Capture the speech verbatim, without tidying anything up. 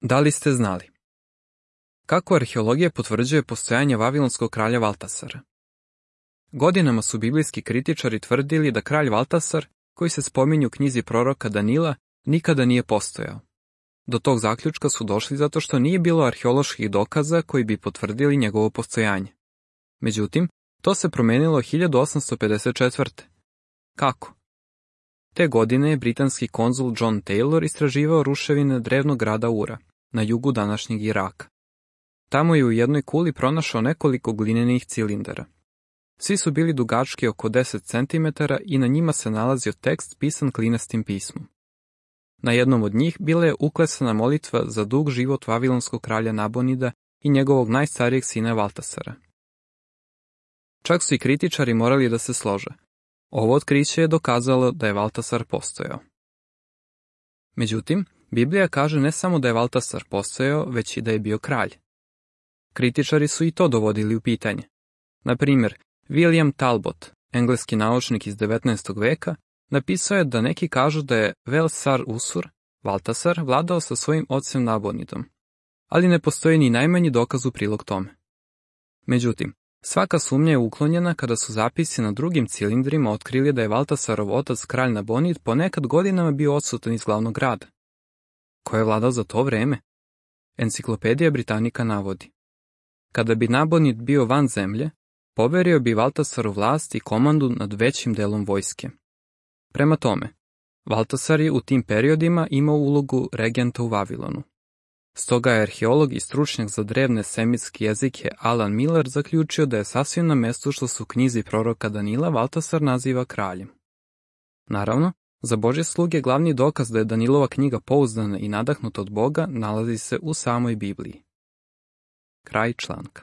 Da li ste znali? Kako arheologija potvrđuje postojanje vavilonskog kralja Valtasara? Godinama su biblijski kritičari tvrdili da kralj Valtasar, koji se spominje u knjizi proroka Danila, nikada nije postojao. Do tog zaključka su došli zato što nije bilo arheoloških dokaza koji bi potvrdili njegovo postojanje. Međutim, to se promenilo hiljadu osamsto pedeset četvrte. Kako? Te godine je britanski konzul John Taylor istraživao ruševine drevnog grada Ura, na jugu današnjeg Iraka. Tamo je u jednoj kuli pronašao nekoliko glinenih cilindara. Svi su bili dugački oko deset centimetara i na njima se nalazio tekst pisan klinastim pismom. Na jednom od njih bila je uklesana molitva za dug život vavilonskog kralja Nabonida i njegovog najstarijeg sina Valtasara. Čak su i kritičari morali da se slože. Ovo otkriće je dokazalo da je Valtasar postojao. Međutim, Biblija kaže ne samo da je Valtasar postojao, već i da je bio kralj. Kritičari su i to dovodili u pitanje. Na primjer, William Talbot, engleski naučnik iz devetnaestog veka, napisao je da neki kažu da je Vel-Sar Usur, Valtasar, vladao sa svojim ocem Nabonidom, ali ne postoji ni najmanji dokaz u prilog tome. Međutim, svaka sumnja je uklonjena kada su zapisi na drugim cilindrima otkrili da je Valtasarov otac kralj Nabonid ponekad godinama bio odsutan iz glavnog grada. Ko je vladao za to vreme? Enciklopedija Britanika navodi: kada bi Nabonid bio van zemlje, poverio bi Valtasaru vlast i komandu nad većim delom vojske. Prema tome, Valtasar je u tim periodima imao ulogu regenta u Vavilonu. Stoga je arheolog i stručnjak za drevne semitske jezike Alan Miller zaključio da je sasvim na mestu što se u knjizi proroka Danila Valtasar naziva kraljem. Naravno, za Božje sluge glavni dokaz da je Danilova knjiga pouzdana i nadahnuta od Boga nalazi se u samoj Bibliji. Kraj članka.